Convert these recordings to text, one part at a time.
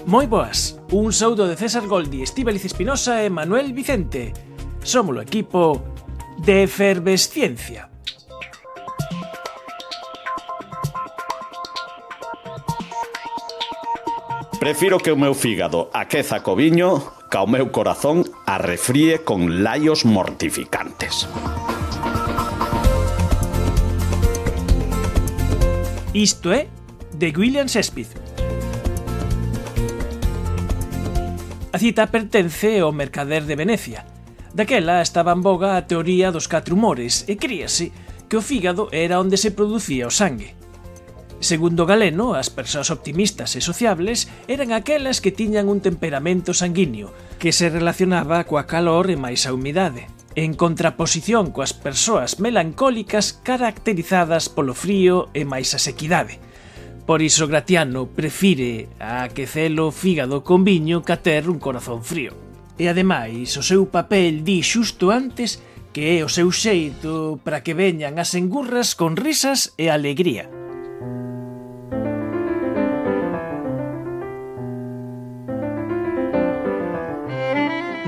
Moi boas, un saúdo de César Goldi, Estíbaliz Espinosa e Manuel Vicente. Somos o equipo de Efervesciencia. Prefiro que o meu fígado aqueza co viño ca o meu corazón arrefríe con laios mortificantes. Isto é de William Shakespeare. A cita pertence ao mercader de Venecia. Daquela estaba en boga a teoría dos 4 humores e críase que o fígado era onde se producía o sangue. Segundo Galeno, as persoas optimistas e sociables eran aquelas que tiñan un temperamento sanguíneo que se relacionaba coa calor e máis a humidade, en contraposición coas persoas melancólicas caracterizadas polo frío e máis a sequidade. Por iso Gratiano prefire aquecelo fígado con viño que a ter un corazón frío. E ademais, o seu papel di xusto antes que é o seu xeito para que veñan as engurras con risas e alegría.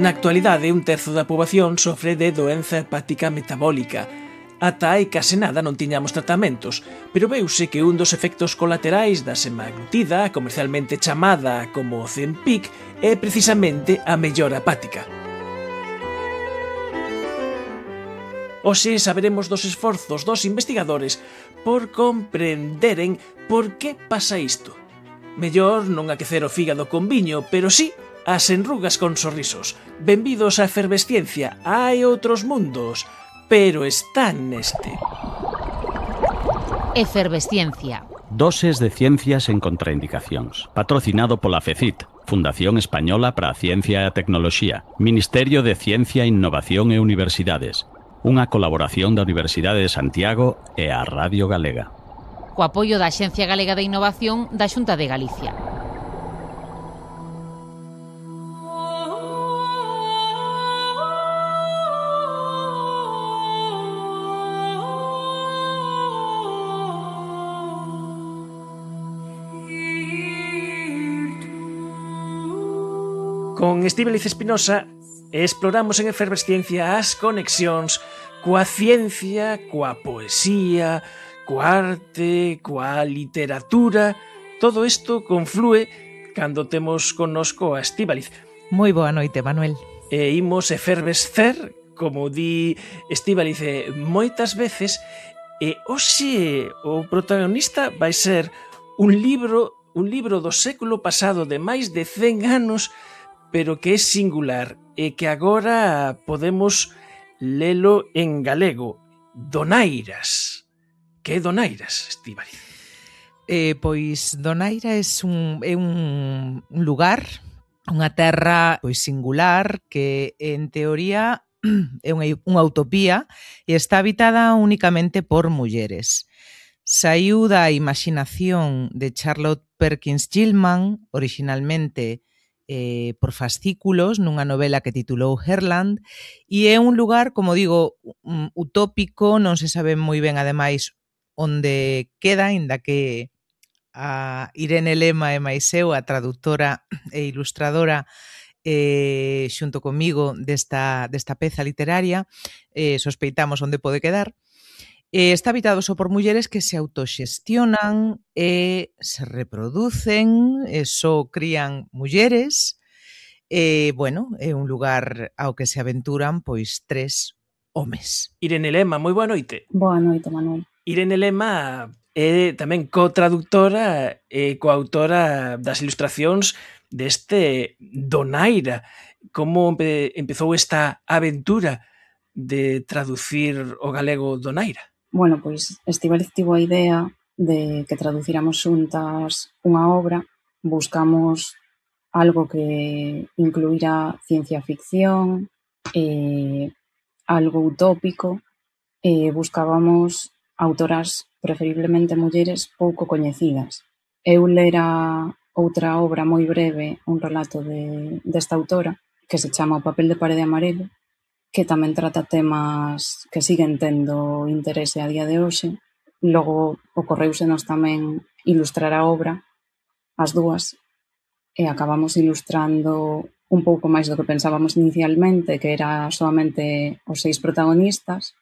Na actualidade, un terzo da poboación sofre de doenza hepática metabólica. Ata hai case nada non tiñamos tratamentos, pero veuse que un dos efectos colaterais da semaglutida, comercialmente chamada como Ozempic, é precisamente a mellora hepática. Hoxe saberemos dos esforzos dos investigadores por comprenderen por que pasa isto. Mellor non aquecer o fígado con viño, pero sí as enrugas con sorrisos. Benvidos á Efervesciencia. Hai outros mundos, pero están neste. Efervesciencia. Doses de ciencias en contraindicacións. Patrocinado pola FECIT, Fundación Española para a Ciencia e a Tecnoloxía, Ministerio de Ciencia, Innovación e Universidades. Unha colaboración da Universidade de Santiago e a Radio Galega. Co apoio da Axencia Galega de Innovación da Xunta de Galicia. Con Estíbaliz Espinosa exploramos en Efervesciencia as conexións coa ciencia, coa poesía, coa arte, coa literatura. Todo isto conflúe cando temos connosco a Estíbaliz. Moi boa noite, Manuel. E imos efervescer, como di Estíbaliz moitas veces, e hoxe o protagonista vai ser un libro do século pasado de máis de 100 anos, pero que é singular e que agora podemos lelo en galego. Donairas. Que é Donairas, Estíbaliz? Pois Donaira é un lugar, unha terra pois singular que en teoría é unha utopía e está habitada únicamente por mulleres. Saiu da imaginación de Charlotte Perkins Gilman, originalmente por fascículos, nunha novela que titulou Herland, e é un lugar, como digo, utópico, non se sabe moi ben, ademais, onde queda, inda que a Irene Lema e máis eu, a traductora e ilustradora, xunto comigo desta peza literaria, sospeitamos onde pode quedar. Está habitado só por mulleres que se autoxestionan e se reproducen, e só crían mulleres. Bueno, é un lugar ao que se aventuran pois 3 homes. Irene Lema, moi boa noite. Boa noite, Manuel. Irene Lema é tamén co-traductora e coautora das ilustracións deste Donaira. Como empezou esta aventura de traducir o galego Donaira? Bueno, pois Estíbaliz tivo a idea de que traduciramos xuntas unha obra. Buscamos algo que incluíra ciencia ficción, algo utópico, e buscábamos autoras, preferiblemente mulleres, pouco coñecidas. Eu lera outra obra moi breve, un relato desta autora, que se chama O papel de parede amarelo, que tamén trata temas que siguen tendo interese a día de hoxe. Logo ocorreusenos tamén ilustrar a obra, as dúas, e acabamos ilustrando un pouco máis do que pensábamos inicialmente, que era solamente os 6 protagonistas,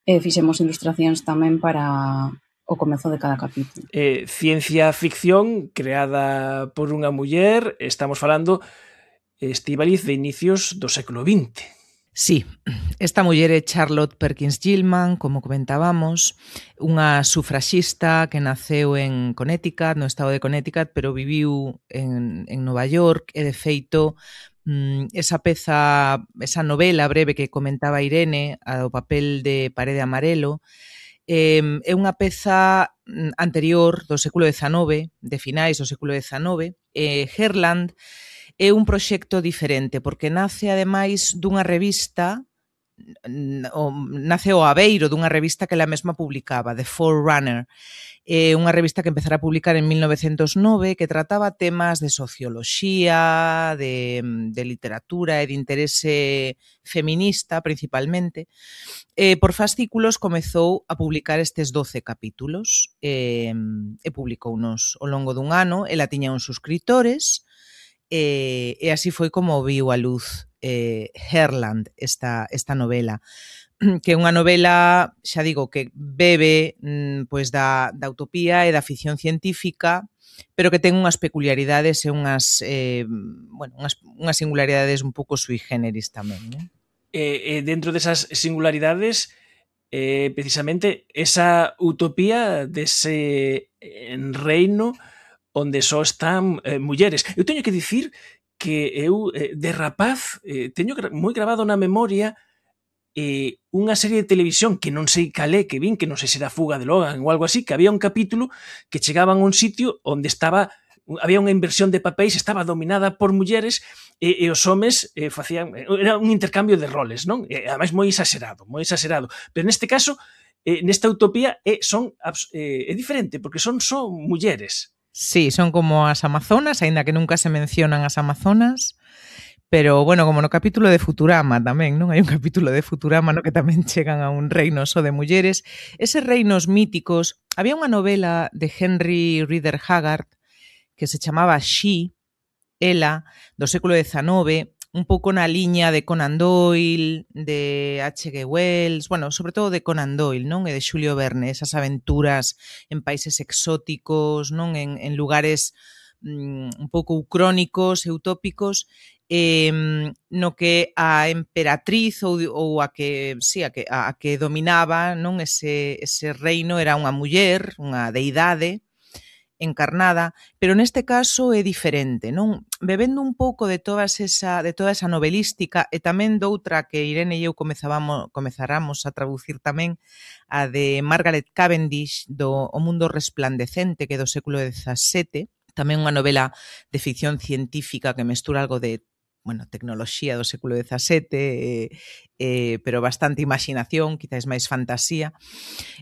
e fixemos ilustracións tamén para o comezo de cada capítulo. Ciencia ficción creada por unha muller, estamos falando, Estíbaliz, de inicios do século XX. Sí, esta muller é Charlotte Perkins Gilman, como comentábamos, unha sufraxista que naceu en Connecticut, no estado de Connecticut, pero viviu en Nova York, e de feito esa esa novela breve que comentaba Irene, o papel de Parede Amarelo, é unha peza anterior do século XIX, de finais do século XIX. Herland é un proxecto diferente, porque nace, ademais, dunha revista, nace o abeiro dunha revista que ela mesma publicaba, The Forerunner, unha revista que empezara a publicar en 1909, que trataba temas de socioloxía, de literatura e de interese feminista, principalmente. Por fascículos comezou a publicar estes 12 capítulos, e publicounos ao longo dun ano. Ela tiña uns suscriptores, e así foi como viu a luz Herland, esta novela, que é unha novela, xa digo, que bebe pois da utopía e da ficción científica, pero que ten unhas peculiaridades e unhas singularidades un pouco sui generis tamén, non? Dentro desas singularidades, precisamente esa utopía dese reino onde só están mulleres. Eu teño que dicir que eu, de rapaz, teño moi grabado na memoria unha serie de televisión que non sei cal é, que vin, que non sei se era Fuga de Logan ou algo así, que había un capítulo que chegaban a un sitio onde había unha inversión de papéis, estaba dominada por mulleres, e os homes facían, era un intercambio de roles, non? Ademais moi exagerado, pero neste caso, nesta utopía é diferente, porque son só mulleres. Sí, son como as amazonas, aínda que nunca se mencionan as amazonas, pero, bueno, como no capítulo de Futurama tamén, non? Hai un capítulo de Futurama no que tamén chegan a un reino só de mulleres. Eses reinos míticos, había unha novela de Henry Rider Haggard que se chamaba She, ela, do século XIX, un pouco na liña de Conan Doyle, de H.G. Wells, bueno, sobre todo de Conan Doyle, non? E de Xulio Verne, esas aventuras en países exóticos, non? En lugares un pouco ucrónicos e utópicos, no que a emperatriz ou a que dominaba, non? Ese reino era unha muller, unha deidade encarnada, pero neste caso é diferente, non? Bebendo un pouco de toda esa novelística, e tamén doutra que Irene e eu comezaramos a traducir tamén, a de Margaret Cavendish, do O mundo resplandecente, que é do século XVII, tamén unha novela de ficción científica que mestura algo de tecnoloxía do século XVII, pero bastante imaginación, quizás máis fantasía.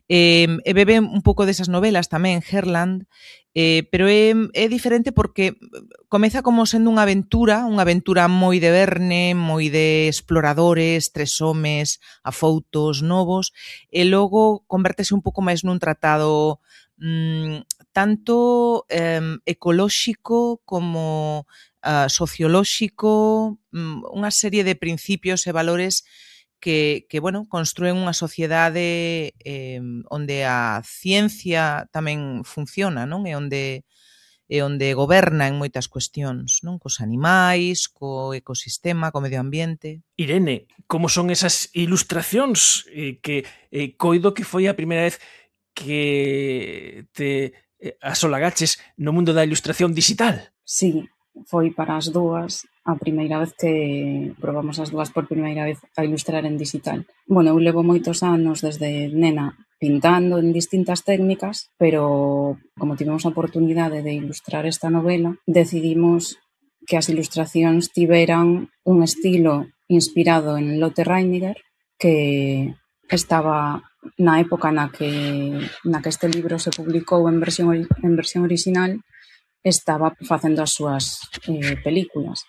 E bebe un pouco desas novelas tamén, Herland, pero é diferente porque comeza como sendo unha aventura moi de Verne, moi de exploradores, 3 homes afoutos, novos, e logo convértese un pouco máis nun tratado tanto ecolóxico como sociolóxico, unha serie de principios e valores que construen unha sociedade onde a ciencia tamén funciona, non? E onde goberna en moitas cuestións, non? Cos animais, co ecosistema, co medio ambiente. Irene, como son esas ilustracións que coido que foi a primeira vez que te asolagaches no mundo da ilustración digital? Sí, foi para as dúas a primeira vez que probamos as dúas por primeira vez a ilustrar en digital. Bueno, eu levo moitos anos desde nena pintando en distintas técnicas, pero como tivemos a oportunidade de ilustrar esta novela, decidimos que as ilustracións tiveran un estilo inspirado en Lotte Reiniger, que estaba na época na que este libro se publicou en versión original, estaba facendo as súas películas.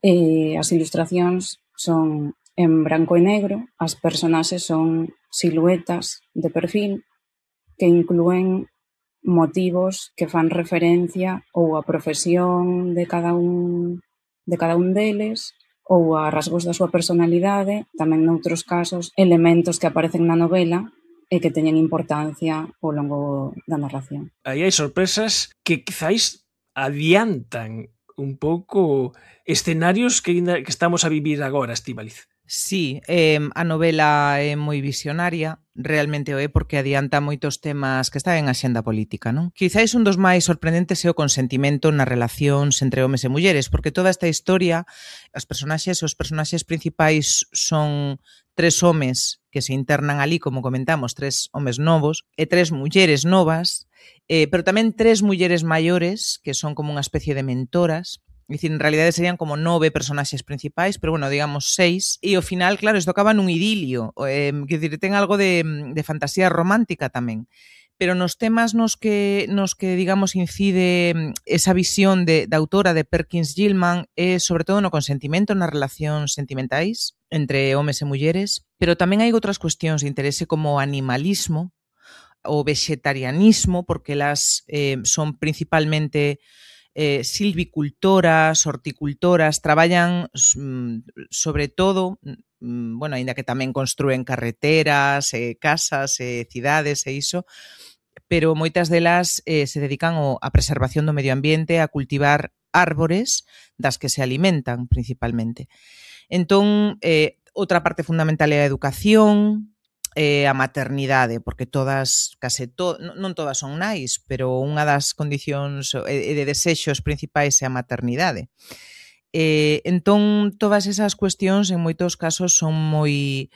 As ilustracións son en branco e negro, as personaxes son siluetas de perfil que inclúen motivos que fan referencia ou a profesión de cada un deles ou a rasgos da súa personalidade, tamén noutros casos elementos que aparecen na novela e que teñen importancia ao longo da narración. Aí hai sorpresas que quizáis adiantan un pouco escenarios que estamos a vivir agora, Estíbaliz. Sí, a novela é moi visionaria, realmente o é porque adianta moitos temas que están en axenda política, non? Quizáis un dos máis sorprendentes é o consentimento nas relacións entre homes e mulleres, porque toda esta historia, os personaxes principais son 3 homes que se internan ali, como comentamos, 3 homes novos e 3 mulleres novas, pero tamén 3 mulleres maiores que son como unha especie de mentoras. É dicir, en realidade serían como 9 personaxes principais, pero bueno, digamos 6. E ao final, claro, isto acaba nun idilio. Quer dicir, ten algo de fantasía romántica tamén. Pero nos temas nos que digamos, incide esa visión da autora de Perkins Gilman é sobre todo no consentimento nas relacións sentimentais entre homes e mulleres, pero tamén hai outras cuestións de interese como o animalismo, o vegetarianismo, porque elas son principalmente silvicultoras, horticultoras, traballan sobre todo, bueno, aínda que tamén construen carreteras, casas, cidades e iso, pero moitas delas se dedican á preservación do medio ambiente, a cultivar árbores das que se alimentan principalmente. Entón, outra parte fundamental é a educación, a maternidade, porque non todas son nais, pero unha das condicións e de desexos principais é a maternidade. Entón, todas esas cuestións en moitos casos son moi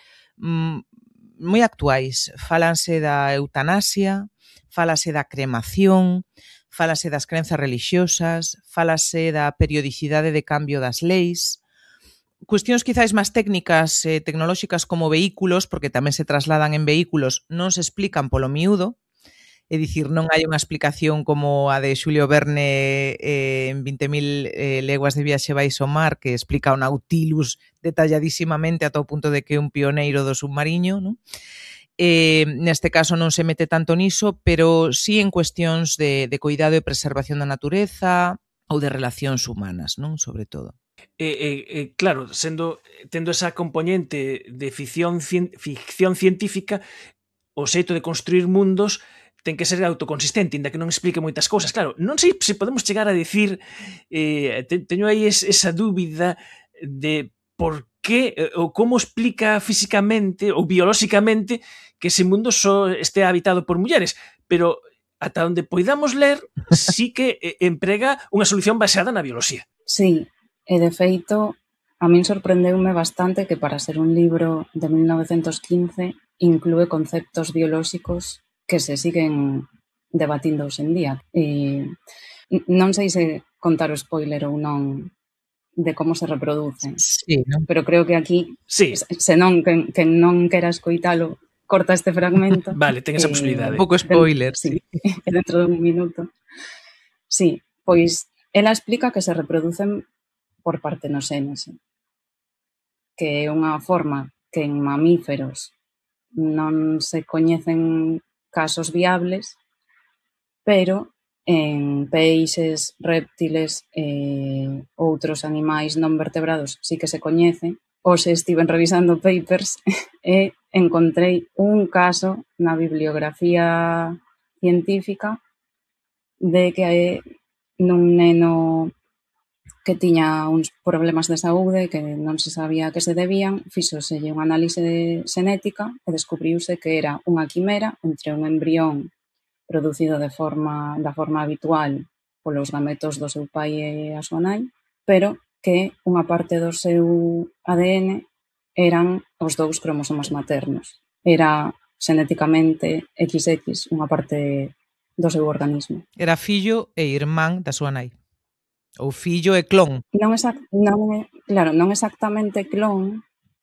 actuais. Fálanse da eutanasia, fálase da cremación, fálase das crenzas religiosas, fálase da periodicidade de cambio das leis, cuestións quizáis máis técnicas e tecnolóxicas como vehículos, porque tamén se trasladan en vehículos, non se explican polo miúdo, é dicir, non hai unha explicación como a de Xulio Verne en 20.000 leguas de viaxe baixo o mar, que explica o Nautilus detalladísimamente ata o punto de que é un pioneiro do submarino, non? Neste caso non se mete tanto niso, pero sí en cuestións de cuidado e preservación da natureza ou de relacións humanas, non? Sobre todo. Claro, tendo esa componente de ficción científica, o xeito de construir mundos ten que ser autoconsistente, inda que non explique moitas cousas. Claro, non sei se podemos chegar a decir, teño aí esa dúbida de por que ou como explica físicamente ou biolóxicamente que ese mundo só este habitado por mulleres, pero ata onde poidamos ler, sí que emprega unha solución baseada na bioloxía. Sí. E, de feito, a min sorprendeume bastante que para ser un libro de 1915 inclúe conceptos biolóxicos que se siguen debatindo hoxe en día. Non sei se contar o spoiler ou non de como se reproducen, sí, ¿no? Pero creo que aquí, sí. Se non, quen non quera escoitalo, corta este fragmento. Vale, ten esa posibilidade. Un pouco spoiler, sí. Dentro dun minuto. Sí, pois ela explica que se reproducen por partenocénese, que é unha forma que en mamíferos non se coñecen casos viables, pero en peixes, réptiles e outros animais non vertebrados sí que se coñece. Hoxe estiven revisando papers e encontrei un caso na bibliografía científica de que nun neno que tiña uns problemas de saúde que non se sabía a que se debían, fíxoselle unha análise xenética e descubriuse que era unha quimera entre un embrión producido da forma habitual polos gametos do seu pai e a súa nai, pero que unha parte do seu ADN eran os 2 cromosomas maternos. Era xenéticamente XX, unha parte do seu organismo. Era fillo e irmán da súa nai. Ou fillo e clon. Non exactamente clon,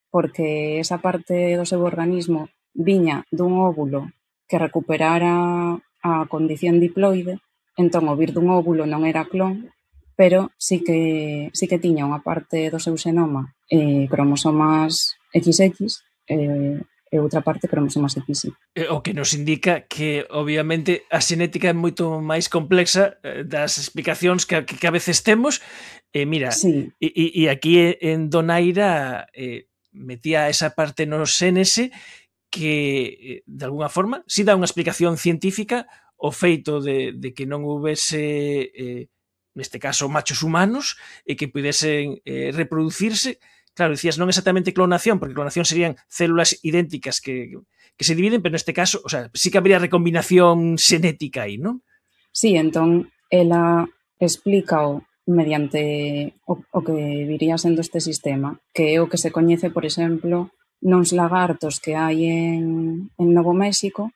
porque esa parte do seu organismo viña dun óvulo que recuperara a condición diploide, entón o vir dun óvulo non era clon, pero sí que tiña unha parte do seu xenoma cromosomas XX, e e outra parte cromosoma 7. O que nos indica que, obviamente, a xenética é moito máis complexa das explicacións que a veces temos. Mira, Sí. e aquí en Donaira metía esa parte no xénese que, de alguna forma, si dá unha explicación científica o feito de que non houvese, neste caso, machos humanos e que pudesen reproducirse. Claro, decías non exactamente clonación, porque clonación serían células idénticas que se dividen, pero neste caso, o sea, sí que habría recombinación xenética aí, non? Sí, entón, ela explícao mediante o que viría sendo este sistema, que é o que se coñece, por exemplo, nos lagartos que hai en Novo México,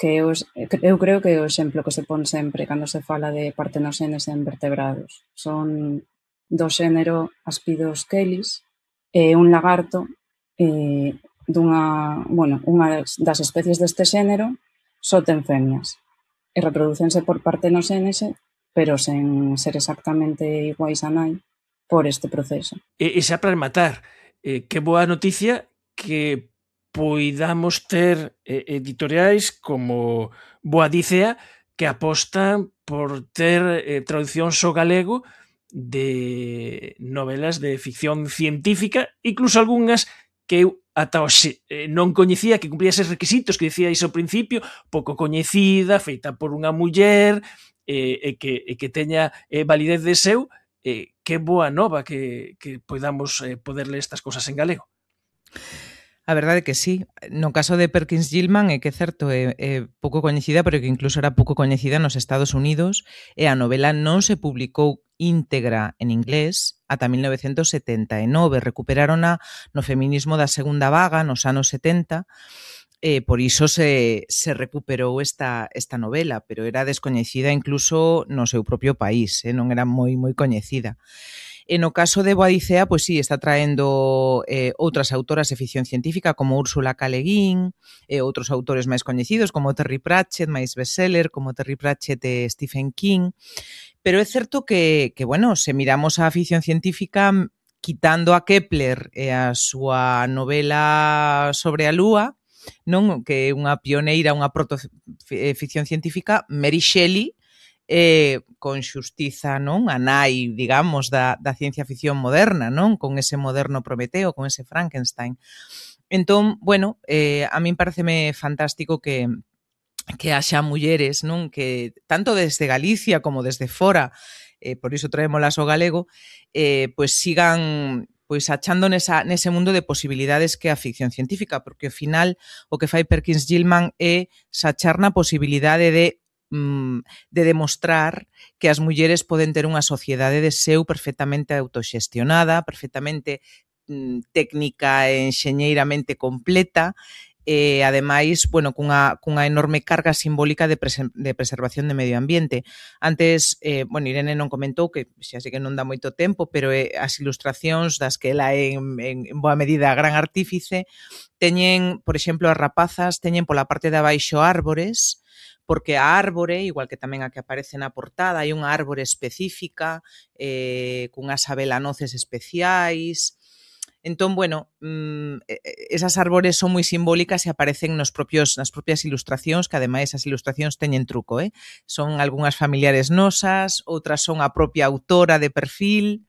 que eu creo que é o exemplo que se pon sempre cando se fala de partenoxénese en vertebrados. Son do xénero Aspidoscelis, un lagarto unha das especies deste xénero só ten femias e reproducense por partenoxénese, pero sen ser exactamente iguais a nai por este proceso. E xa para rematar, que boa noticia que poidamos ter editoriais como Boadicea que apostan por ter traduccións ao galego de novelas de ficción científica, incluso algunhas que eu ata hoxe non coñecía, que cumplía eses requisitos que dicía iso ao principio, pouco coñecida, feita por unha muller, e que teña validez de seu. Que boa nova que podamos poder ler estas cousas en galego. A verdade é que sí. No caso de Perkins Gilman é que é certo, é pouco coñecida, pero que incluso era pouco coñecida nos Estados Unidos, e a novela non se publicou íntegra en inglés ata 1979. Recuperárona no feminismo da segunda vaga nos anos 70, por iso se recuperou esta novela, pero era descoñecida incluso no seu propio país, non era moi coñecida. E no caso de Boadicea, pois sí, está traendo outras autoras de ficción científica como Úrsula K. Le Guin e outros autores máis coñecidos como Terry Pratchett, máis bestseller, como Terry Pratchett e Stephen King. Pero é certo que, bueno, se miramos a ficción científica, quitando a Kepler e a súa novela sobre a Lúa, non, que é unha pioneira, unha protoficción científica, Mary Shelley, con xustiza, non, a nai, digamos, da ciencia ficción moderna, non, con ese moderno Prometeo, con ese Frankenstein. Entón, bueno, a min pareceme fantástico que haxa mulleres, non, que tanto desde Galicia como desde fora, por iso traémolas ao galego, pois sigan pois achando nese mundo de posibilidades que a ficción científica, porque ao final o que fai Perkins Gilman é sachar na posibilidade de demostrar que as mulleres poden ter unha sociedade de seu perfectamente autoxestionada, perfectamente técnica e enxeñeiramente completa, e ademais, bueno, cunha enorme carga simbólica de preservación de medio ambiente. Antes, bueno, Irene non comentou, que xa sei que non dá moito tempo, pero as ilustracións das que ela é en boa medida gran artífice, teñen, por exemplo, as rapazas teñen pola parte de abaixo árbores, porque a árbore, igual que tamén a que aparece na portada, hai unha árbore específica, cunhas abelanoces especiais. Entón, bueno, esas árbores son moi simbólicas e aparecen nas propias ilustracións, que ademais as ilustracións teñen truco, son algunhas familiares nosas, outras son a propia autora de perfil,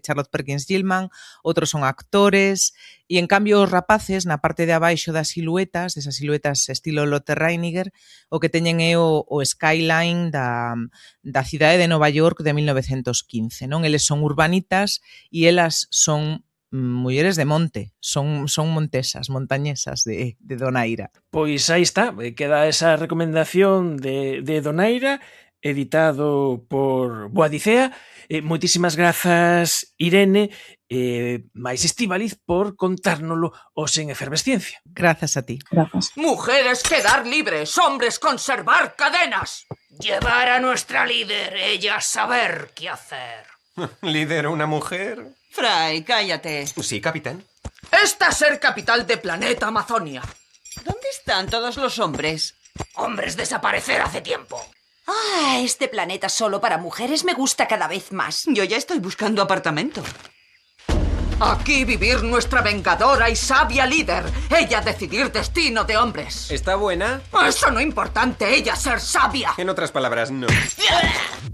Charlotte Perkins Gilman, outros son actores, e en cambio os rapaces, na parte de abaixo das siluetas, desas siluetas estilo Lotte Reiniger, o que teñen é o skyline da cidade de Nova York de 1915, non? Eles son urbanitas e elas son mulleres de monte, son montesas, montañesas de Donaira. Pois aí está, queda esa recomendación de Donaira, editado por Boadicea. Moitísimas grazas, Irene, máis Estíbaliz, por contárnolo os en Efervesciencia. Grazas a ti. Grazas. Mujeres quedar libres, hombres conservar cadenas. Llevar a nuestra líder, ella saber qué hacer. ¿Líder una mujer? Fry, cállate. Sí, capitán. Esta ser capital de planeta Amazonia. ¿Dónde están todos los hombres? Hombres desaparecer hace tiempo. Ah, este planeta solo para mujeres me gusta cada vez más. Yo ya estoy buscando apartamento. Aquí vivir nuestra vengadora y sabia líder. Ella decidir destino de hombres. ¿Está buena? Eso no es importante, ella ser sabia. En otras palabras, no.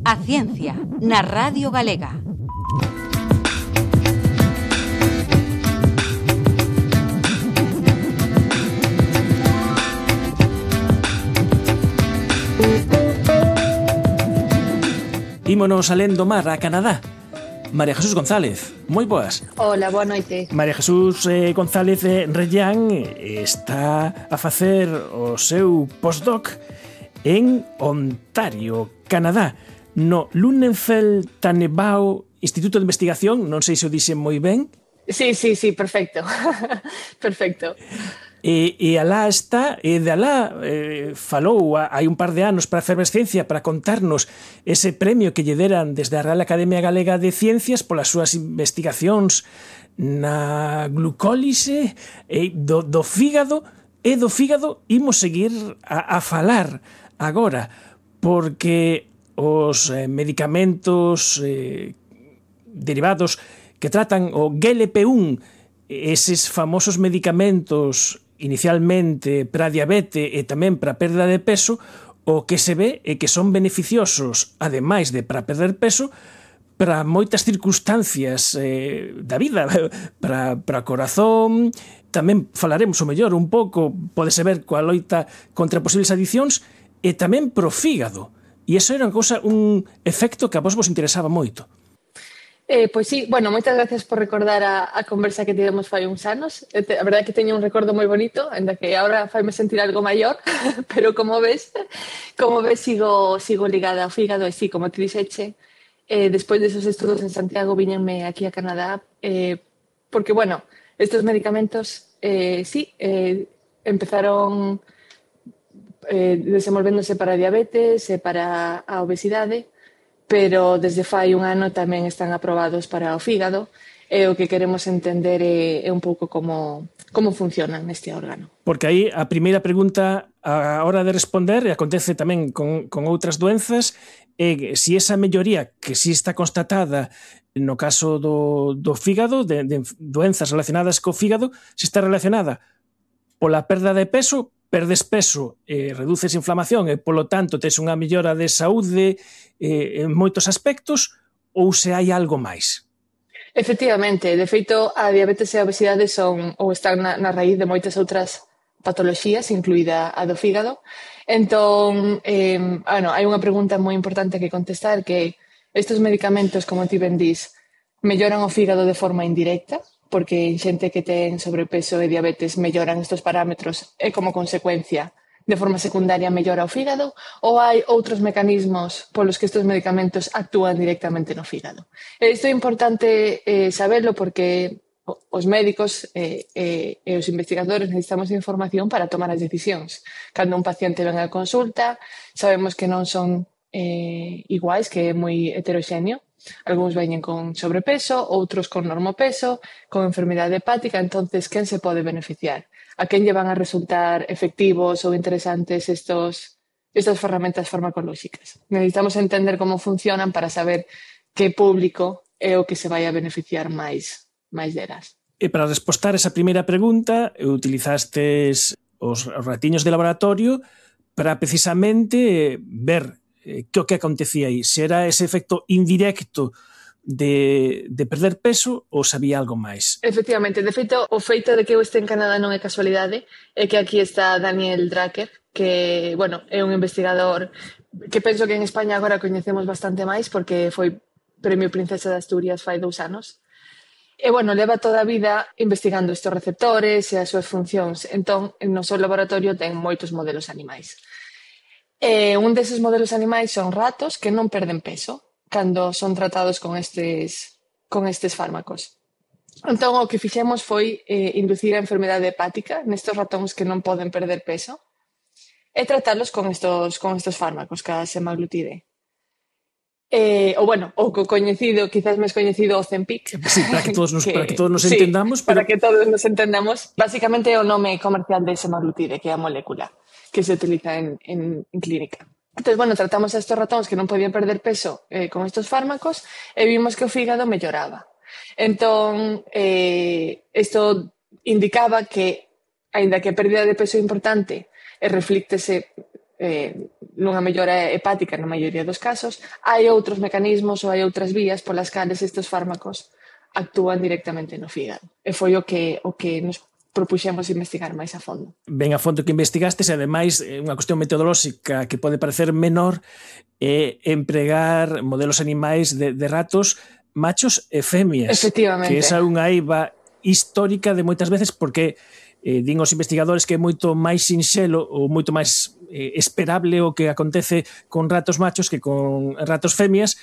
A ciencia, na Radio Galega. Ímonos alén do mar a Canadá. María Jesús González, moi boas. Hola, boa noite. María Jesús González Rellán está a facer o seu postdoc en Ontario, Canadá, no Lunenfeld Tannenbaum Instituto de Investigación, non sei se o dixen moi ben. Sí, perfecto. Perfecto. E alá está, e de alá falou hai un par de anos para a Efervescencia para contarnos ese premio que lle deran desde a Real Academia Galega de Ciencias polas súas investigacións na glucólise do fígado, e do fígado imos seguir a falar agora, porque os medicamentos derivados que tratan o GLP-1, eses famosos medicamentos inicialmente para a diabetes e tamén para a perda de peso, o que se ve é que son beneficiosos, ademais de para perder peso, para moitas circunstancias da vida, para o corazón. Tamén falaremos o mellor un pouco, pódese ver coa loita contra posibles adiccións, e tamén pro fígado. E iso era un efecto que a vos interesaba moito. Pois sí, bueno, moitas gracias por recordar a conversa que tivemos fai uns anos. A verdade é que teño un recordo moi bonito, ainda que agora faime sentir algo maior, pero como ves sigo ligada ao fígado, e sí, como te dixeche, despois desos estudos en Santiago viñenme aquí a Canadá, porque, bueno, estes medicamentos empezaron desenvolvéndose para a diabetes e para a obesidade, pero desde fai un ano tamén están aprobados para o fígado, e o que queremos entender é un pouco como funcionan neste órgano. Porque aí a primeira pregunta a hora de responder, e acontece tamén con outras doenzas, é se esa melloría que si está constatada no caso do fígado, de doenzas relacionadas co fígado, se está relacionada pola perda de peso, perdes peso, reduces inflamación e, polo tanto, tes unha mellora de saúde en moitos aspectos, ou se hai algo máis? Efectivamente, de feito, a diabetes e a obesidade están na raíz de moitas outras patoloxías, incluída a do fígado. Entón, hai unha pregunta moi importante que contestar, que estes medicamentos, como ti ben dís, melloran o fígado de forma indirecta, porque en xente que ten sobrepeso e diabetes melloran estes parámetros e como consecuencia de forma secundaria mellora o fígado, ou hai outros mecanismos polos que estes medicamentos actúan directamente no fígado. Isto é importante saberlo porque os médicos e os investigadores necesitamos información para tomar as decisións. Cando un paciente ven á consulta, sabemos que non son iguais, que é moi heteroxéneo. Algúns veñen con sobrepeso, outros con normopeso, con enfermidade hepática. Entonces, quen se pode beneficiar? A quen lle van a resultar efectivos ou interesantes estas ferramentas farmacolóxicas? Necesitamos entender como funcionan para saber que público é o que se vai a beneficiar máis delas. E para respostar esa primeira pregunta, utilizastes os ratiños de laboratorio para precisamente ver que o que acontecía aí, se era ese efecto indirecto de perder peso ou se había algo máis. Efectivamente, de feito, o feito de que eu este en Canadá non é casualidade, é que aquí está Daniel Drucker, que, bueno, é un investigador que penso que en España agora coñecemos bastante máis porque foi Premio Princesa de Asturias fai 2 anos. E, bueno, leva toda a vida investigando estes receptores e as súas funcións. Entón, no seu laboratorio ten moitos modelos animais. Un deses modelos animais son ratos que non perden peso cando son tratados con estes fármacos. Entón, o que fixemos foi inducir a enfermedade hepática nestes ratóns que non poden perder peso e tratalos con estos fármacos, ca semaglutide. O coñecido, quizás máis coñecido, o Ozempic. Sí, para que todos nos entendamos. Para que todos nos entendamos. Básicamente é o nome comercial de semaglutide, que é a molécula que se utiliza en clínica. Entón, bueno, tratamos a estos ratóns que non podían perder peso con estos fármacos e vimos que o fígado melloraba. Entón, isto indicaba que, aínda que a pérdida de peso é importante e reflíctese nunha mellora hepática na maioría dos casos, hai outros mecanismos ou hai outras vías polas cales estes fármacos actúan directamente no fígado. E foi o que nos propuxemos investigar máis a fondo. Ben a fondo que investigastes, e ademais unha cuestión metodolóxica que pode parecer menor é empregar modelos animais de ratos machos e femias. Efectivamente. Que esa é unha eiva histórica de moitas veces porque din os investigadores que é moito máis sinxelo ou moito máis esperable o que acontece con ratos machos que con ratos femias,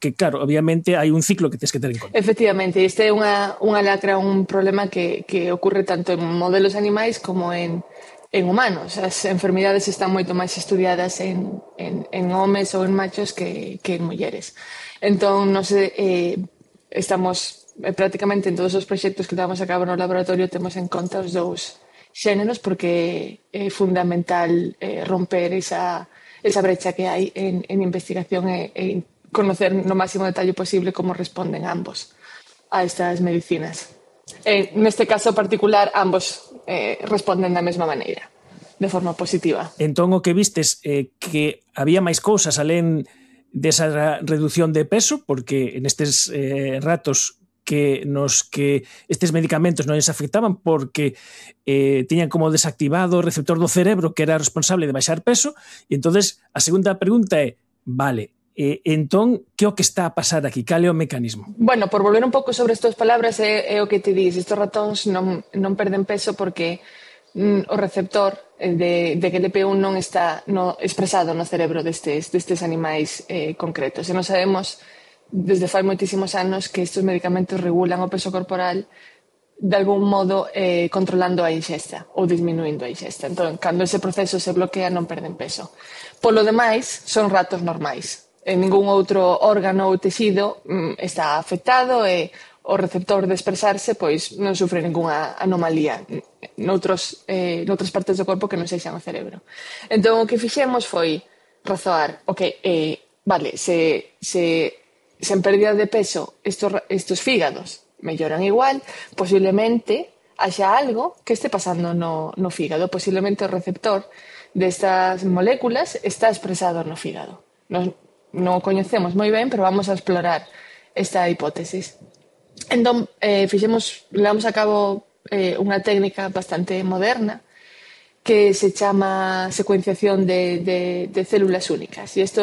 que claro, obviamente hai un ciclo que tens que ter en conta. Efectivamente, este é unha lacra, un problema que ocorre tanto en modelos animais como en humanos. As enfermidades están moito máis estudiadas en homes ou en machos que en mulleres. Entón, nos estamos prácticamente en todos os proxectos que levamos a cabo no laboratorio temos en conta os dous xéneros porque é fundamental romper esa brecha que hai en investigación e conocer no máximo detalle posible como responden ambos a estas medicinas. Neste caso particular, ambos responden da mesma maneira, de forma positiva. Entón, o que vistes é que había máis cousas alén desa reducción de peso, porque nestes ratos que estes medicamentos non les afectaban porque tiñan como desactivado o receptor do cerebro que era responsable de baixar peso, e entonces a segunda pregunta é, vale, entón, que o que está a pasar aquí? Cal é o mecanismo? Bueno, por volver un pouco sobre estas palabras é o que te dis, estes ratóns non perden peso porque o receptor de GLP-1 non está expresado no cerebro destes animais concretos. E non sabemos desde fai moitísimos anos que estes medicamentos regulan o peso corporal de algún modo controlando a ingesta ou disminuindo a ingesta. Entón, cando ese proceso se bloquea non perden peso. Polo demais, son ratos normais. En ningún outro órgano ou tecido está afectado e o receptor de expresarse pois non sufre ningunha anomalía noutras partes do corpo que non sexan o cerebro. Entón, o que fixemos foi razoar, vale, se en pérdida de peso estos fígados melloran igual, posiblemente haxa algo que este pasando no fígado, posiblemente o receptor destas moléculas está expresado no fígado. Non o coñecemos moi ben, pero vamos a explorar esta hipótesis. Entón, levamos a cabo unha técnica bastante moderna que se chama secuenciación de células únicas. E isto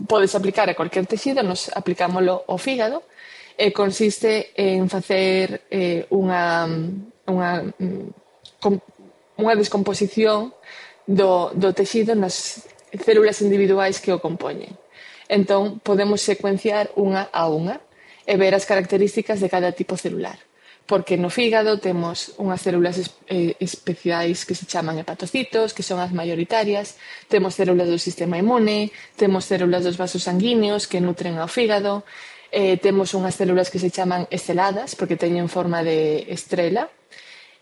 podes aplicar a cualquier texido, nos aplicámoslo ao fígado, e consiste en facer unha descomposición do texido nas células individuais que o compoñen. Entón, podemos secuenciar unha a unha e ver as características de cada tipo celular. Porque no fígado temos unhas células especiais que se chaman hepatocitos, que son as maioritarias, temos células do sistema inmune, temos células dos vasos sanguíneos que nutren ao fígado, temos unhas células que se chaman esteladas, porque teñen forma de estrela,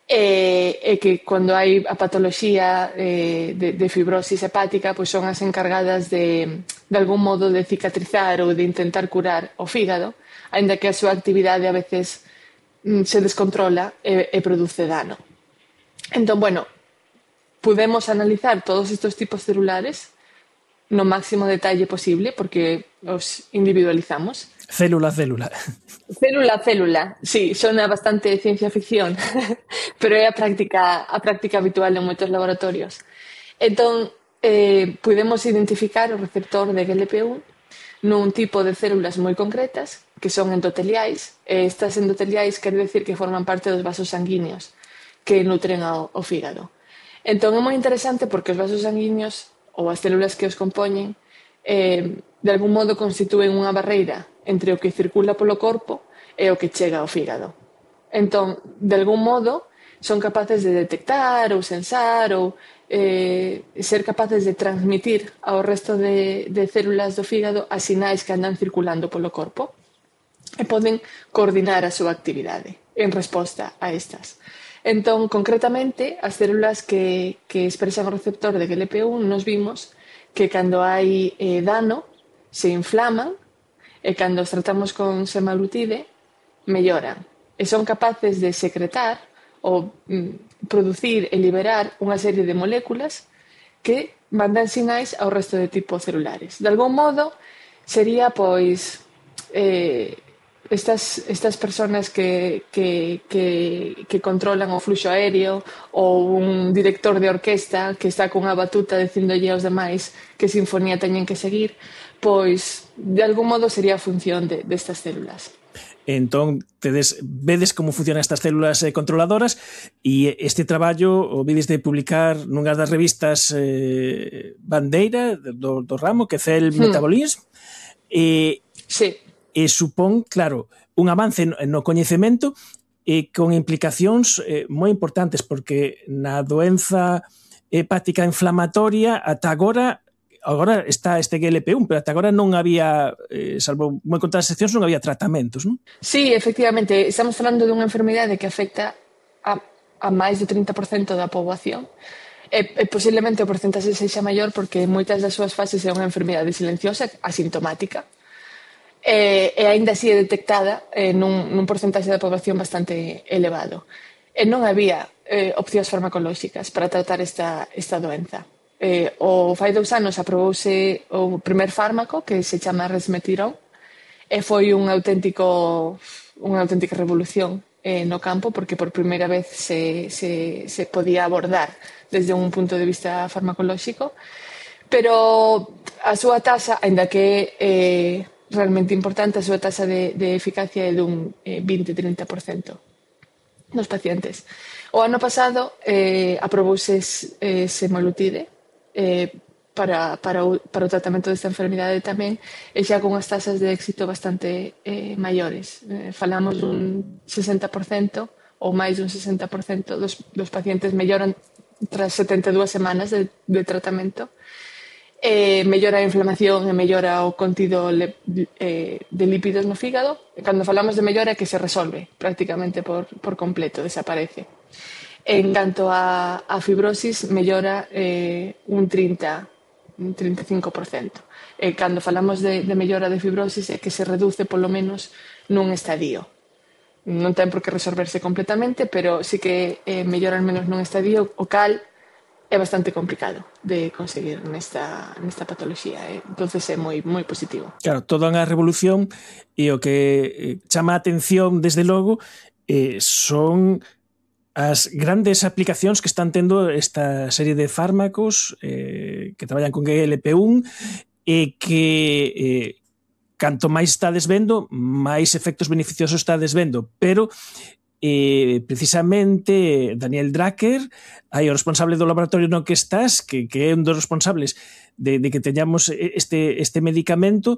e que cando hai a patoloxía de fibrosis hepática, pois son as encargadas de algún modo de cicatrizar ou de intentar curar o fígado, aínda que a súa actividade a veces se descontrola e produce dano. Entón, bueno, podemos analizar todos estes tipos celulares no máximo detalle posible porque os individualizamos. Célula a célula. Célula a célula, sí, sona bastante ciencia ficción, pero é a práctica habitual en moitos laboratorios. Entón, podemos identificar o receptor de GLP-1 nun tipo de células moi concretas que son endoteliais. Estas endoteliais quere decir que forman parte dos vasos sanguíneos que nutren ao fígado. Entón é moi interesante porque os vasos sanguíneos ou as células que os compoñen de algún modo constitúen unha barreira entre o que circula polo corpo e o que chega ao fígado. Entón, de algún modo, son capaces de detectar ou sensar ou ser capaces de transmitir ao resto de células do fígado as sinais que andan circulando polo corpo e poden coordinar a súa actividade en resposta a estas. Entón, concretamente, as células que expresan o receptor de GLP-1 nos vimos que cando hai dano se inflaman e cando os tratamos con semaglutide melloran e son capaces de secretar ou producir e liberar unha serie de moléculas que mandan sinais ao resto de tipos celulares. De algún modo, sería, pois, estas personas que controlan o fluxo aéreo ou un director de orquesta que está cunha batuta dicindolle aos demais que sinfonía teñen que seguir, pois, de algún modo sería a función destas células. Entón, vedes como funcionan estas células controladoras e este traballo o vides de publicar nunha das revistas bandeira do ramo, que é Cell Metabolism, sí. E supón, claro, un avance no coñecemento con implicacións moi importantes, porque na doenza hepática inflamatoria ata agora está este GLP-1, pero ata agora non había, salvo moi contadas excepcións, non había tratamentos, non? Sí, efectivamente, estamos falando dunha enfermidade que afecta a máis do 30% da poboación. E posiblemente o porcentaxe sexa maior porque moitas das súas fases é unha enfermidade silenciosa, asintomática, e aínda así é detectada nun porcentaxe da poboación bastante elevado. E non había opcións farmacolóxicas para tratar esta doenza. O fai 2 anos aprobouse o primer fármaco que se chama resmetirom e foi unha auténtica revolución no campo porque por primeira vez se podía abordar desde un punto de vista farmacolóxico, pero a súa taxa, aínda que é realmente importante, a súa taxa de eficacia é dun 20-30% nos pacientes. O ano pasado aprobouse semaglutide para o tratamento desta enfermidade tamén, e xa con as tasas de éxito bastante maiores. Falamos dun 60% ou máis dun 60% dos pacientes melloran tras 72 semanas de tratamento, mellora a inflamación e mellora o contido de lípidos no fígado. Cando falamos de mellora é que se resolve prácticamente por completo, desaparece. En canto a fibrosis, mellora un 35%. Cando falamos de mellora de fibrosis é que se reduce polo menos nun estadio. Non ten por que resolverse completamente, pero sí que mellora al menos nun estadio, o cal é bastante complicado de conseguir nesta patoloxía. Entonces é moi positivo. Claro, toda unha revolución, e o que chama a atención desde logo son as grandes aplicacións que están tendo esta serie de fármacos que traballan con GLP-1 e que canto máis estades vendo, máis efectos beneficiosos estades vendo, pero precisamente Daniel Drucker, aí o responsable do laboratorio no que estás, que é un dos responsables de que teñamos este medicamento,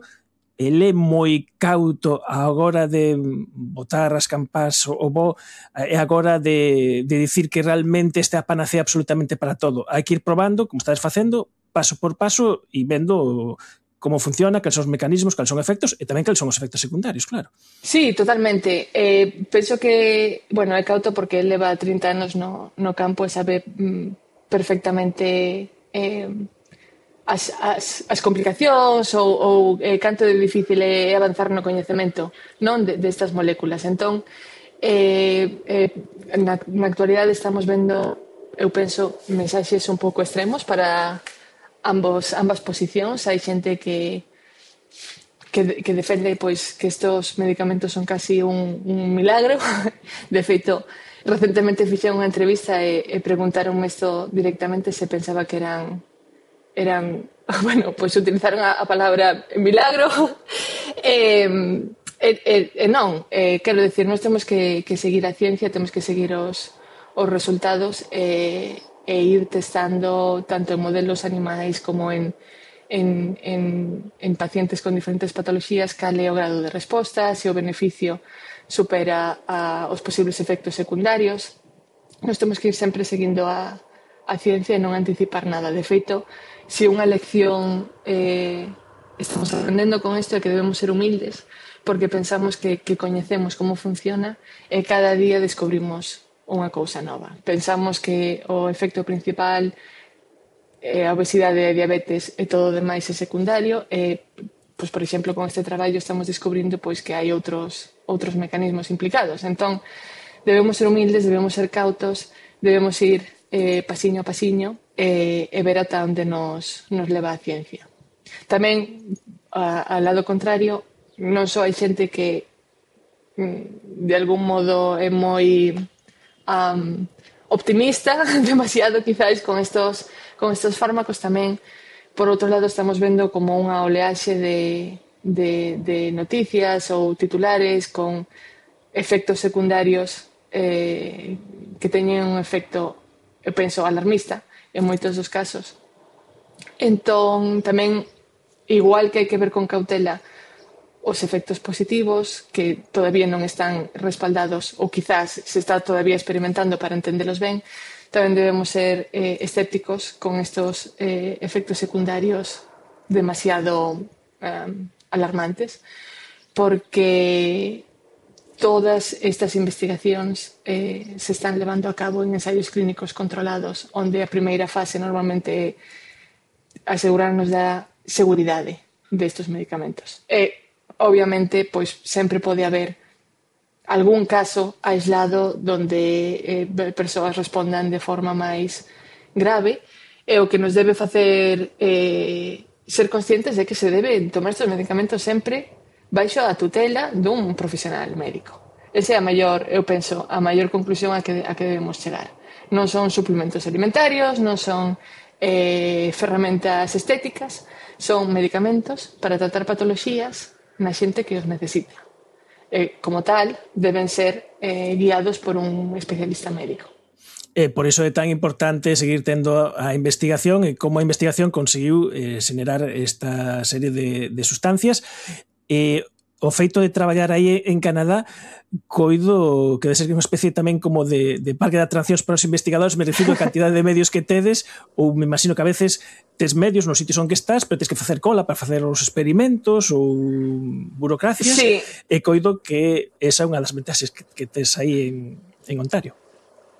ele é moi cauto agora de botar as campás o bo, e agora de dicir que realmente esta é a panacea absolutamente para todo. Hai que ir probando, como estás facendo, paso por paso e vendo como funciona, cales son os mecanismos, cales son os efectos e tamén cales son os efectos secundarios, claro. Sí, totalmente. Penso que, é cauto porque ele leva 30 anos no campo e sabe perfectamente as complicacións ou canto de difícil é avanzar no coñecemento non destas moléculas. Entón, na actualidade estamos vendo, eu penso, mensaxes un pouco extremos para ambas posicións. Hai xente que defende pois que estos medicamentos son casi un milagro. De feito, recentemente fixen unha entrevista e preguntaronme isto directamente se pensaba que eran utilizaron a palabra milagro non, quero decir, nós temos que seguir a ciencia, temos que seguir os resultados e ir testando tanto en modelos animais como en pacientes con diferentes patoloxías cal é o grado de resposta, se o beneficio supera os posibles efectos secundarios. Nós temos que ir sempre seguindo a ciencia e non anticipar nada. De feito, se unha lección estamos aprendendo con isto é que debemos ser humildes porque pensamos que coñecemos como funciona e cada día descubrimos unha cousa nova. Pensamos que o efecto principal é a obesidade e a diabetes e todo o demais é secundario e pois, por exemplo, con este traballo estamos descubrindo pois que hai outros mecanismos implicados. Entón, debemos ser humildes, debemos ser cautos, debemos ir pasiño a pasiño e ver ata onde nos leva a ciencia. Tamén, ao lado contrario, non só hai xente que de algún modo é moi optimista, demasiado quizáis con estos fármacos. Tamén, por outro lado, estamos vendo como unha oleaxe de noticias ou titulares con efectos secundarios que teñen un efecto, eu penso, alarmista en moitos dos casos. Entón, tamén, igual que hai que ver con cautela os efectos positivos que todavía non están respaldados ou quizás se está todavía experimentando para entendelos ben, tamén debemos ser escépticos con estos efectos secundarios demasiado alarmantes, porque todas estas investigacións se están levando a cabo en ensaios clínicos controlados, onde a primeira fase normalmente é asegurarnos da seguridade destes medicamentos. Obviamente, pois sempre pode haber algún caso aislado donde persoas respondan de forma máis grave, e o que nos debe facer ser conscientes de que se debe tomar estes medicamentos sempre baixo a tutela dun profesional médico. Esa é a maior, eu penso, a maior conclusión a que debemos chegar. Non son suplementos alimentarios, non son ferramentas estéticas, son medicamentos para tratar patoloxías na xente que os necesita. Como tal, deben ser guiados por un especialista médico. Por iso é tan importante seguir tendo a investigación e como a investigación conseguiu xenerar esta serie de sustancias. O feito de traballar aí en Canadá, coido que debe ser unha especie tamén como de parque de atraccións para os investigadores, merecido a cantidade de medios que tedes, ou me imagino que a veces tes medios nos sitios onde estás, pero tens que facer cola para facer os experimentos ou burocracias, sí. E coido que esa é unha das ventaxes que tes aí en Ontario.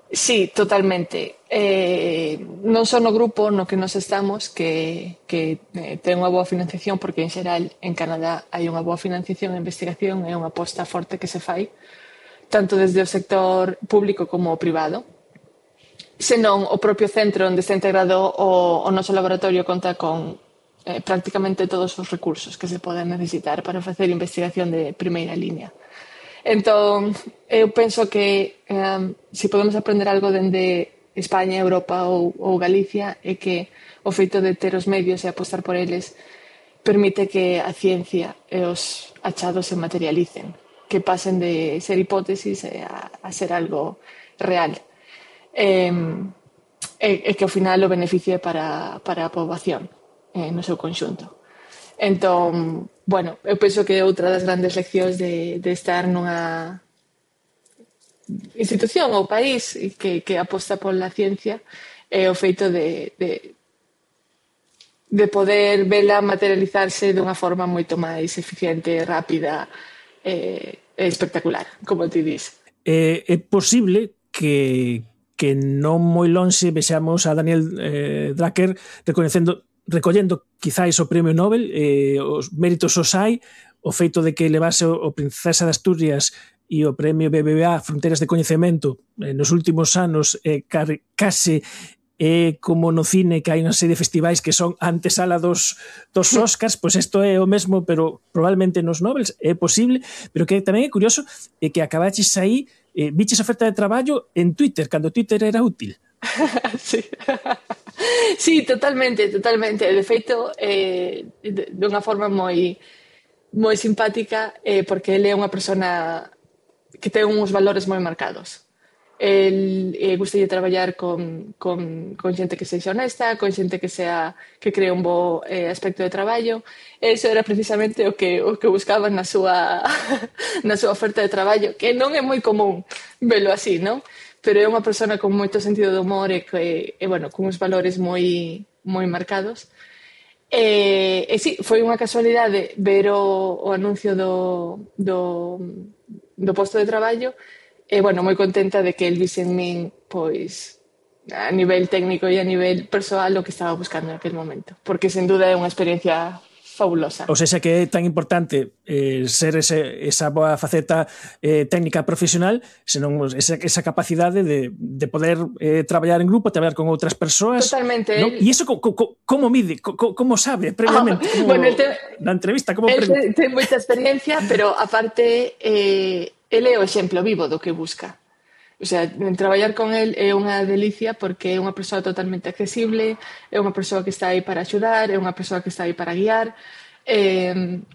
Sí, totalmente. Non só no grupo no que nos estamos que ten unha boa financiación, porque en xeral en Canadá hai unha boa financiación e investigación, é unha aposta forte que se fai tanto desde o sector público como o privado, senón o propio centro onde está integrado o noso laboratorio conta con prácticamente todos os recursos que se poden necesitar para facer investigación de primeira línea. Entón, eu penso que se podemos aprender algo dende España, Europa ou Galicia, é que o feito de ter os medios e apostar por eles permite que a ciencia e os achados se materialicen, que pasen de ser hipótesis a ser algo real. E que ao final o beneficie para a poboación no seu conxunto. Entón, bueno, eu penso que outra das grandes leccións de estar nunha institución ou país que aposta pola ciencia é o feito de poder vela materializarse dunha forma moito máis eficiente, rápida e espectacular, como ti dis. É posible que non moi lonxe vexamos a Daniel Drucker recollendo quizáis o premio Nobel, os méritos os hai, o feito de que levase o Princesa de Asturias e o premio BBVA Fronteiras de Coñecemento nos últimos anos case como no cine, que hai unha serie de festivais que son antesala dos Oscars, pois isto é o mesmo, pero probablemente nos Nobels é posible, pero que tamén é curioso que acabaches aí, viches oferta de traballo en Twitter, cando Twitter era útil. Sí. Sí, totalmente. De feito, de unha forma moi simpática, porque ele é unha persona que ten uns valores moi marcados. El gustalle traballar con xente que sexa honesta, con xente que cree un bo aspecto de traballo. Eso era precisamente o que buscaba na súa oferta de traballo, que non é moi común velo así, non? Pero é unha persona con moito sentido de humor e bueno, con uns valores moi marcados. E sí, foi unha casualidade ver o anuncio do posto de traballo e, bueno, moi contenta de que el vise en min, pois, a nivel técnico e a nivel persoal o que estaba buscando en aquel momento. Porque, sen duda, é unha experiencia fabulosa. Ou seja, que é tan importante ser esa boa faceta técnica profesional, senón esa capacidade de poder traballar en grupo, traballar con outras persoas. Totalmente. ¿No? E iso como mide? Como sabe previamente? Na entrevista, como el ten moita experiencia, pero aparte ele é o exemplo vivo do que busca. O sea, traballar con el é unha delicia porque é unha persoa totalmente accesible, é unha persoa que está aí para axudar, é unha persoa que está aí para guiar,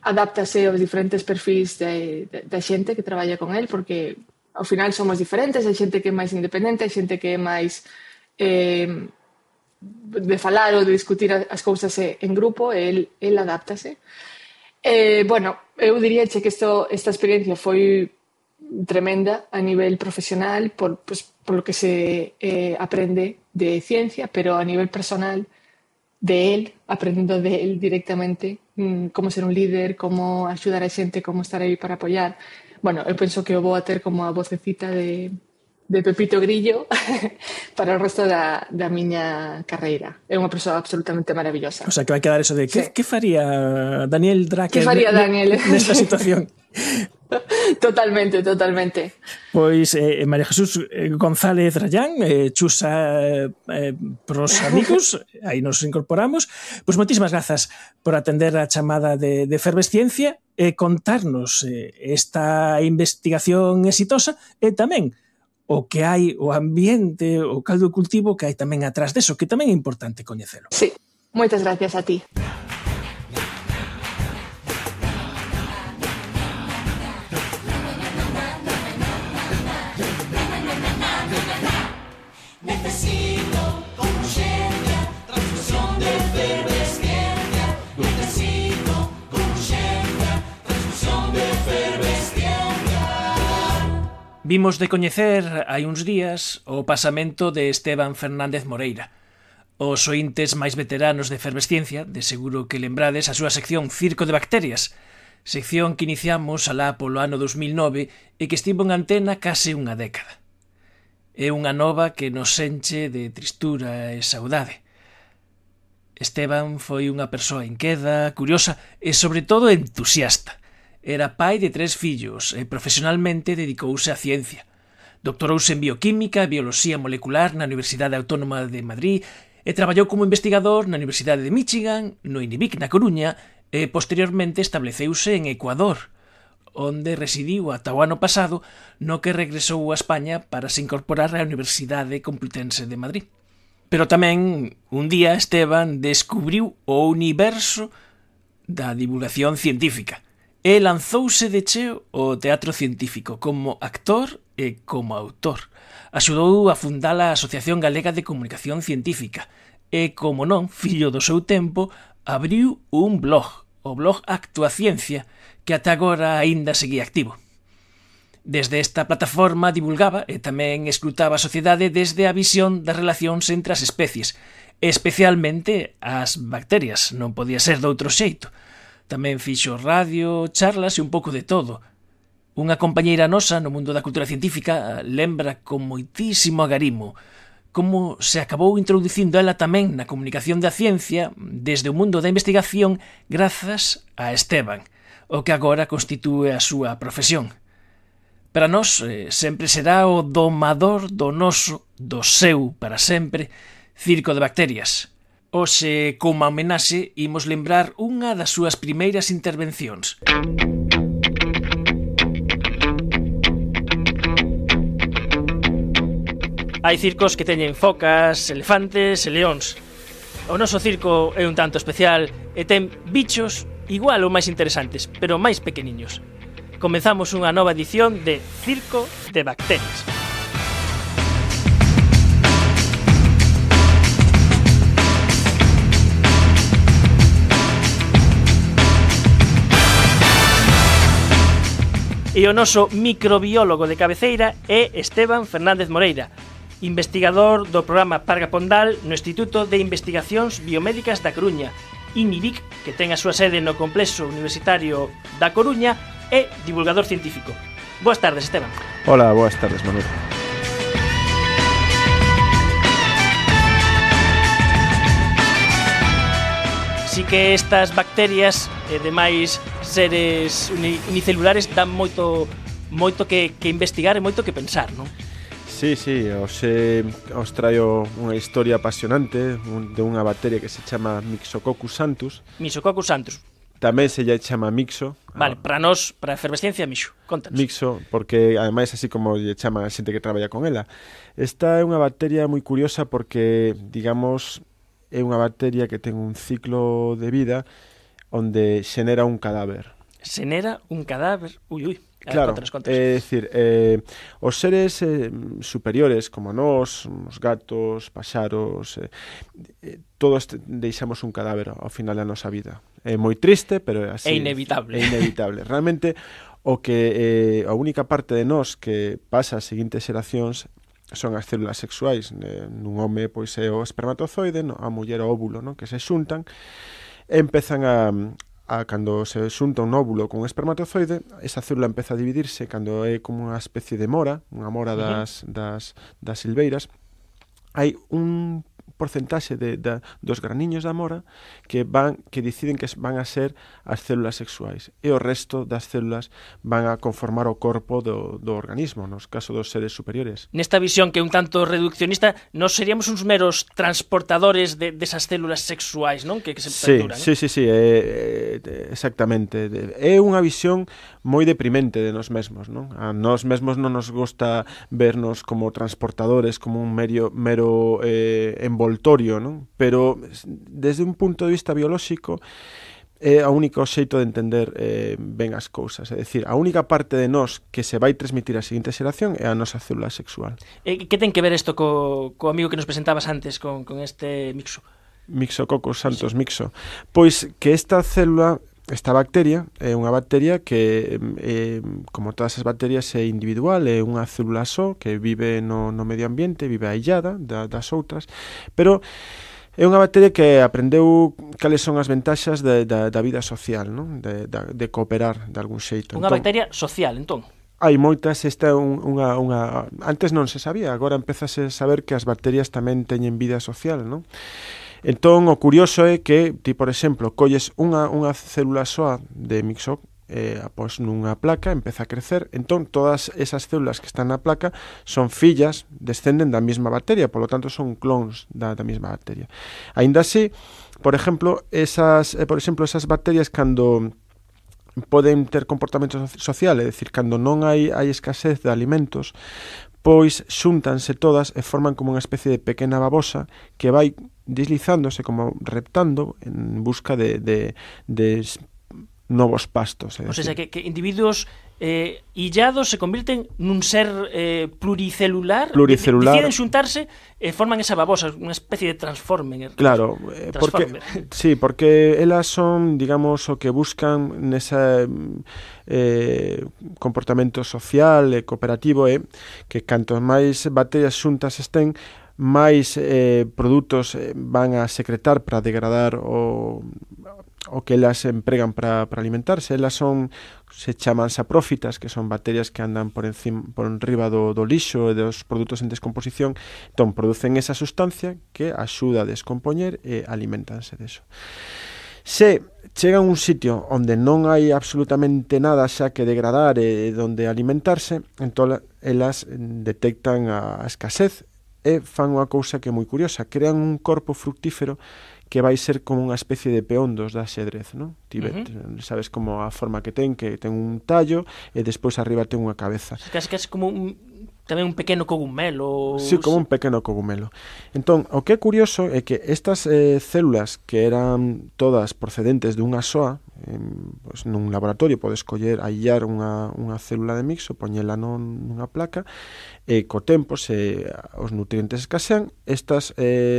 adáptase aos diferentes perfis da xente que traballa con el, porque ao final somos diferentes, hai xente que é máis independente, hai xente que é máis de falar ou de discutir as cousas en grupo, el adáptase. Bueno, eu diríache que esta experiencia foi tremenda a nivel profesional por lo que se aprende de ciencia, pero a nivel personal de él, aprendiendo de él directamente cómo ser un líder, cómo axudar a xente, cómo estar aí para apoyar. Bueno, eu penso que o vou a ter como a vocecita de Pepito Grillo para o resto da miña carreira. É unha persoa absolutamente maravillosa. O sea, que vai quedar eso de que faría Daniel Dracker nesta situación? Totalmente. Pois María Jesús González Rayán, chusa pros amigos, aí nos incorporamos. Pois moitísimas grazas por atender a chamada de Efervesciencia e contarnos esta investigación exitosa e tamén o que hai, o ambiente, o caldo de cultivo que hai tamén atrás deso, que tamén é importante coñecelo. Sí, moitas gracias a ti. Vimos de coñecer hai uns días o pasamento de Esteban Fernández Moreira. Os ointes máis veteranos de Efervesciencia, de seguro que lembrades a súa sección Circo de Bacterias, sección que iniciamos alá polo ano 2009 e que estivo en antena case unha década. É unha nova que nos enche de tristura e saudade. Esteban foi unha persoa inqueda, curiosa e, sobre todo, entusiasta. Era pai de 3 fillos e profesionalmente dedicouse á ciencia. Doctorouse en bioquímica e bioloxía molecular na Universidade Autónoma de Madrid e traballou como investigador na Universidade de Michigan, no INIBIC na Coruña e posteriormente estableceuse en Ecuador, onde residiu ata o ano pasado, no que regresou a España para se incorporar á Universidade Complutense de Madrid. Pero tamén, un día, Esteban descubriu o universo da divulgación científica e lanzouse de cheo ao teatro científico como actor e como autor. Axudou a fundar a Asociación Galega de Comunicación Científica e, como non, fillo do seu tempo, abriu un blog, o blog Actuaciencia, que ata agora aínda seguía activo. Desde esta plataforma divulgaba e tamén escrutaba a sociedade desde a visión das relacións entre as especies, especialmente as bacterias, non podía ser doutro xeito. Tamén fixo radio, charlas e un pouco de todo. Unha compañeira nosa no mundo da cultura científica lembra con moitísimo agarimo como se acabou introducindo ela tamén na comunicación da ciencia desde o mundo da investigación grazas a Esteban, o que agora constitúe a súa profesión. Para nós sempre será o domador do noso, do seu para sempre, Circo de Bacterias. Hoxe, como homenaxe, imos lembrar unha das súas primeiras intervencións. Hai circos que teñen focas, elefantes e leóns. O noso circo é un tanto especial e ten bichos igual ou máis interesantes, pero máis pequeniños. Comezamos unha nova edición de Circo de Bacterias. E o noso microbiólogo de cabeceira é Esteban Fernández Moreira, investigador do programa Parga Pondal no Instituto de Investigacións Biomédicas da Coruña, INIBIC, que ten a súa sede no Complexo Universitario da Coruña, e divulgador científico. Boas tardes, Esteban. Hola, boas tardes, Manuel. Así que estas bacterias e demais seres unicelulares dan moito que investigar e moito que pensar, non? Sí, os traio unha historia apasionante de unha bacteria que se chama Myxococcus santus. Myxococcus santus. Tamén se lle chama mixo. Vale, para nós, para a efervesciencia, mixo. Contanos. Mixo, porque ademais así como lle chaman a xente que traballa con ela. Esta é unha bacteria moi curiosa porque, digamos, é unha bacteria que ten un ciclo de vida onde xenera un cadáver. Xenera un cadáver? Ui. Claro, é dicir, os seres superiores como nós, os gatos, paxaros, todos deixamos un cadáver ao final da nosa vida. É moi triste, pero é así. É inevitable. É inevitable. Realmente, a única parte de nós que pasa ás seguintes xeracións son as células sexuais. Nun home, pois, é o espermatozoide, a muller o óvulo, que se xuntan e empezan cando se xunta un óvulo con un espermatozoide, esa célula empeza a dividirse cando é como unha especie de mora, unha mora das silveiras. Hai un porcentaxe dos graniños da mora que deciden que van a ser as células sexuais e o resto das células van a conformar o corpo do organismo, nos caso dos seres superiores. Nesta visión que é un tanto reduccionista, nós seríamos uns meros transportadores desas células sexuais, non? Que se perduran. Sí, exactamente. É unha visión moi deprimente de nós mesmos, non? A nós mesmos non nos gusta vernos como transportadores, como un mero envoltorio, non? Pero desde un punto de vista biolóxico é o único xeito de entender ben as cousas. É dicir, a única parte de nós que se vai transmitir á seguinte xeración é a nosa célula sexual. Que ten que ver isto co amigo que nos presentabas antes con este mixo? Myxococcus santus mixo. Pois que esta bacteria é unha bacteria que, como todas as bacterias, é individual, é unha célula só que vive no medio ambiente, vive aillada das outras, pero é unha bacteria que aprendeu cales son as ventaxas da vida social, non? De cooperar de algún xeito. Unha bacteria social, entón? Hai moitas, esta é unha... Antes non se sabía, agora empezase a saber que as bacterias tamén teñen vida social, non? Entón, o curioso é que ti, por exemplo, colles unha célula soa de mixo, após nunha placa, empeza a crecer, entón todas esas células que están na placa son fillas, descenden da mesma bacteria, polo tanto son clones da mesma bacteria. Aínda así, por exemplo, esas bacterias cando poden ter comportamento social, é dicir, cando non hai escasez de alimentos, pois xúntanse todas e forman como unha especie de pequena babosa que vai deslizándose, como reptando en busca de novos pastos. O sea, que individuos illados se convirten nun ser pluricelular, deciden xuntarse e forman esa babosa, unha especie de transformer. Claro, porque elas son, digamos, o que buscan nesa comportamento social e cooperativo que canto máis bacterias xuntas estén, máis produtos van a secretar para degradar o que elas empregan para alimentarse. Elas se chaman saprófitas, que son bacterias que andan por enriba do lixo e dos produtos en descomposición. Entón, producen esa sustancia que axuda a descompoñer e alimentanse deso. Se chegan a un sitio onde non hai absolutamente nada xa que degradar e onde alimentarse, entón elas detectan a escasez e fan unha cousa que é moi curiosa, crean un corpo fructífero que vai ser como unha especie de peón dos da xedrez, non? Sabes como a forma que ten un tallo e despois arriba ten unha cabeza. Casi como tamén un pequeno cogumelo. Sí, como un pequeno cogumelo. Entón, o que é curioso é que estas células que eran todas procedentes dunha soa, pues, nun laboratorio podes aillar unha célula de mixo, poñela nunha placa, e co tempo, se os nutrientes escasean, estas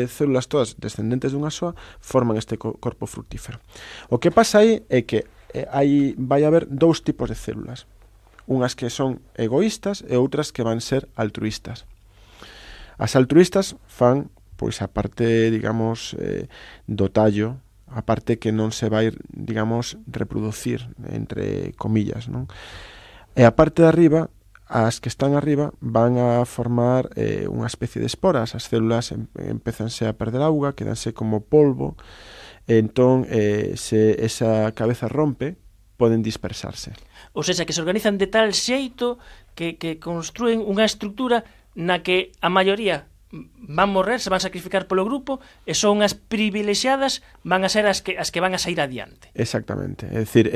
células todas descendentes dunha soa forman este corpo fructífero. O que pasa aí é que vai haber dous tipos de células. Unhas que son egoístas e outras que van ser altruístas. As altruístas fan, pois, a parte, digamos, do tallo, a parte que non se vai, digamos, reproducir, entre comillas, non? E a parte de arriba, as que están arriba, van a formar unha especie de esporas. As células empezanse a perder auga, quedanse como polvo, entón se esa cabeza rompe, poden dispersarse. Ou seja, que se organizan de tal xeito que construen unha estrutura na que a maioría van morrer, se van sacrificar polo grupo, e son as privilexiadas van a ser as que van a sair adiante. Exactamente, é dicir,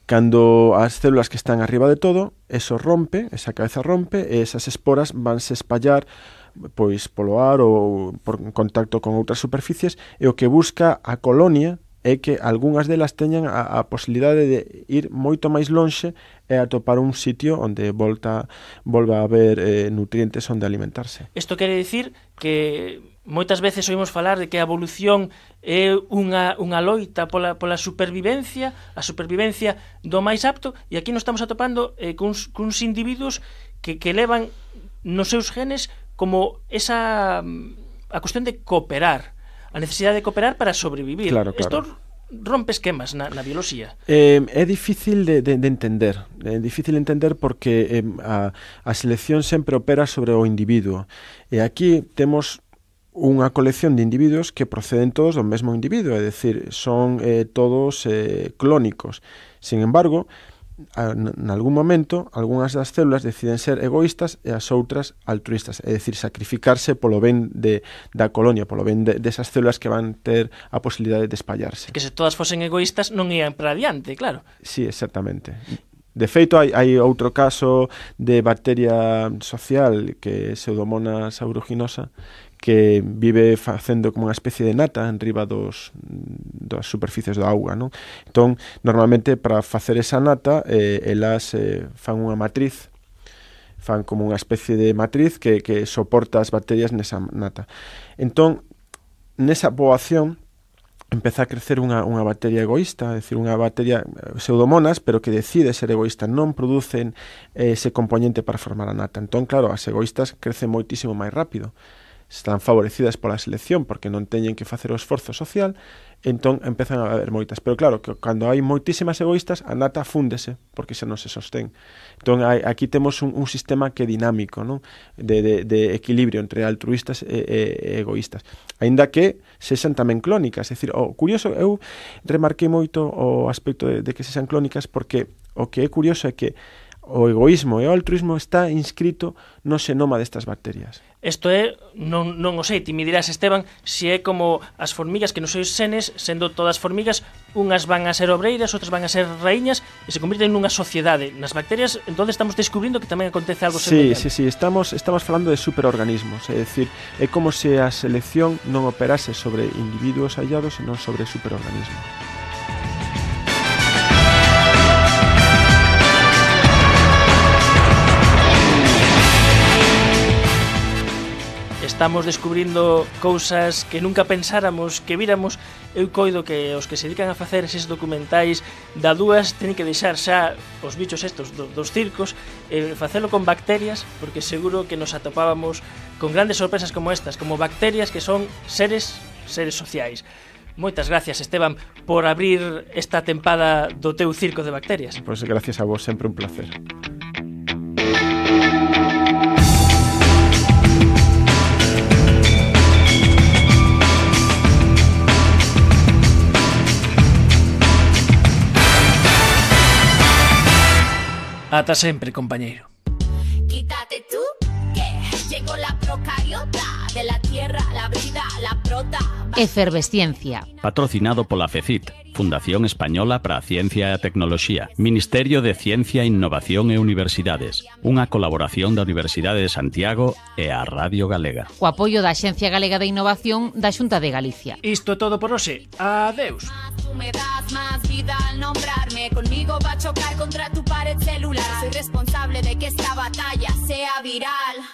cando as células que están arriba de todo, eso rompe, esa cabeza rompe, e esas esporas vanse espallar pois polo ar ou por contacto con outras superficies, e o que busca a colonia é que algunhas delas teñan a posibilidade de ir moito máis lonxe e atopar un sitio onde volva a haber nutrientes onde alimentarse. Isto quere dicir que moitas veces oímos falar de que a evolución é unha loita pola supervivencia, a supervivencia do máis apto, e aquí nos estamos atopando cuns individuos que levan nos seus genes como a cuestión de cooperar, a necesidade de cooperar para sobrevivir. Claro. Isto rompe esquemas na bioloxía. É difícil de entender. É difícil de entender porque a selección sempre opera sobre o individuo. E aquí temos unha colección de individuos que proceden todos do mesmo individuo, é dicir, son todos clónicos. Sin embargo, en algún momento, algunhas das células deciden ser egoístas e as outras altruistas, é dicir, sacrificarse polo ben da colonia, polo ben desas células que van ter a posibilidade de espallarse. Que se todas fosen egoístas non ian para adiante, claro. Sí, exactamente. De feito, hai outro caso de bacteria social que é Pseudomonas aeruginosa, que vive facendo como unha especie de nata en riba das superficies da auga, non? Entón, normalmente, para facer esa nata, elas fan unha matriz, fan como unha especie de matriz que soporta as bacterias nesa nata. Entón, nesa poboación, empeza a crecer unha bacteria egoísta, é dicir, unha bacteria Pseudomonas, pero que decide ser egoísta, non producen ese componente para formar a nata. Entón, claro, as egoístas crecen moitísimo máis rápido. Están favorecidas pola selección porque non teñen que facer o esforzo social, entón empezan a haber moitas. Pero claro, que cando hai moitísimas egoístas, a nata fúndese porque xa non se sostén. Entón aquí temos un sistema que é dinámico, non? De equilibrio entre altruistas e egoístas. Aínda que sexan tamén clónicas. É dicir, o curioso, eu remarquei moito o aspecto de que sexan clónicas porque o que é curioso é que o egoísmo e o altruismo está inscrito no xenoma destas bacterias. Isto é, non o sei, ti me dirás, Esteban, se é como as formigas que nos seus senes, sendo todas formigas, unhas van a ser obreiras, outras van a ser raíñas e se convirten nunha sociedade. Nas bacterias, entón estamos descubrindo que tamén acontece algo semellante. Sí, estamos falando de superorganismos, é dicir, é como se a selección non operase sobre individuos aillados, senón sobre superorganismos. Estamos descubrindo cousas que nunca pensáramos que víramos. Eu coido que os que se dedican a facer eses documentais da dúas teñen que deixar xa os bichos estos dos circos e facelo con bacterias, porque seguro que nos atopábamos con grandes sorpresas como estas, como bacterias que son seres sociais. Moitas gracias, Esteban, por abrir esta tempada do teu circo de bacterias. Pois gracias a vos, sempre un placer. Ata sempre, compañeiro. Quítate tú, que llegó la procariota de la tierra, la vida, la prota. Efervesciencia. Patrocinado pola FECIT, Fundación Española para a Ciencia e a Tecnoloxía, Ministerio de Ciencia, Innovación e Universidades, unha colaboración da Universidade de Santiago e a Radio Galega. O apoio da Axencia Galega de Innovación da Xunta de Galicia. Isto é todo por hoxe. Adeus. Tú me das más vida al nombrarme. Conmigo va a chocar contra tu pared celular. Soy responsable de que esta batalla sea viral.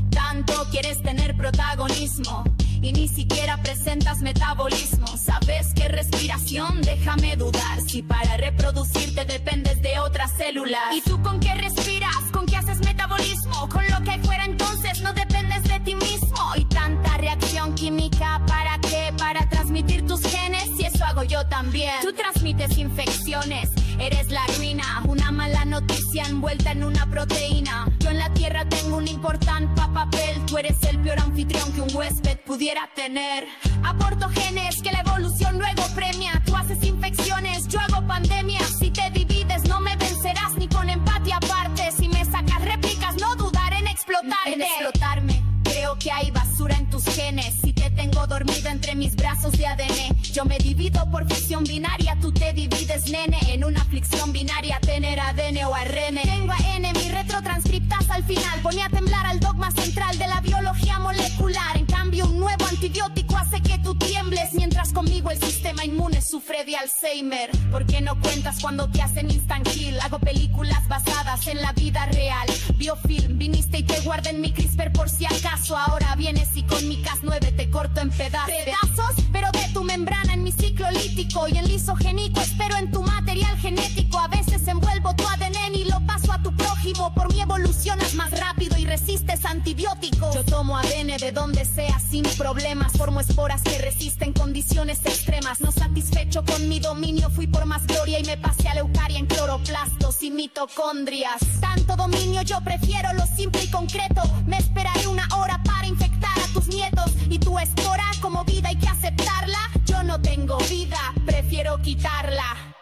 Tanto quieres tener protagonismo y ni siquiera presentas metabolismo. Sabes que respiración, déjame dudar. Si para reproducirte dependes de otras células. ¿Y tú con qué respiras? ¿Con qué haces metabolismo? Con lo que hay fuera entonces no dependes de ti mismo. Y tanta reacción química, ¿para qué? Para transmitir tus genes, y eso hago yo también. Tú transmites infecciones, eres la ruina. Una mala noticia envuelta en una proteína. Yo en la tierra tengo un importante papel. Tú eres el peor anfitrión que un huésped pudiera pudiera tener. Aporto genes que la evolución luego premia. Tú haces infecciones, yo hago pandemias. Si te divides no me vencerás ni con empatía aparte. Si me sacas réplicas no dudaré en explotarte. En explotarme. Creo que hay basura en tus genes. Si te tengo dormido entre mis brazos de ADN. Yo me divido por ficción binaria. Tú te divides, nene, en una aflicción binaria. Tener ADN o ARN. Tengo AN, mi retrotranscriptas al final. Ponía a temblar al dogma central de la biología molecular. En cambio un nuevo antibiótico hace que tú tiembles. Mientras conmigo el sistema inmune sufre de Alzheimer. ¿Por qué no cuentas cuando te hacen instant kill? Hago películas basadas en la vida real. Biofilm, viniste y te guardé en mi CRISPR por si acaso. Ahora vienes y con mi Cas9 te corto en pedazos, pero de tu membrana en mi ciclo lítico y en lisogénico espero en tu material genético. A veces envuelvo tu ADN y lo paso a tu prójimo. Por mi evolucionas más rápido y resistes antibióticos. Yo tomo ADN de donde sea sin problemas. Formo esporas que resisten condiciones extremas. No satisfecho con mi dominio fui por más gloria y me pasé a la eucaria en cloroplastos y mitocondrias. Tanto dominio yo prefiero lo simple y concreto. Me esperaré una hora para infectar a tus nietos. Y tu espora como vida hay que aceptarla. Yo no tengo vida, prefiero quitarla.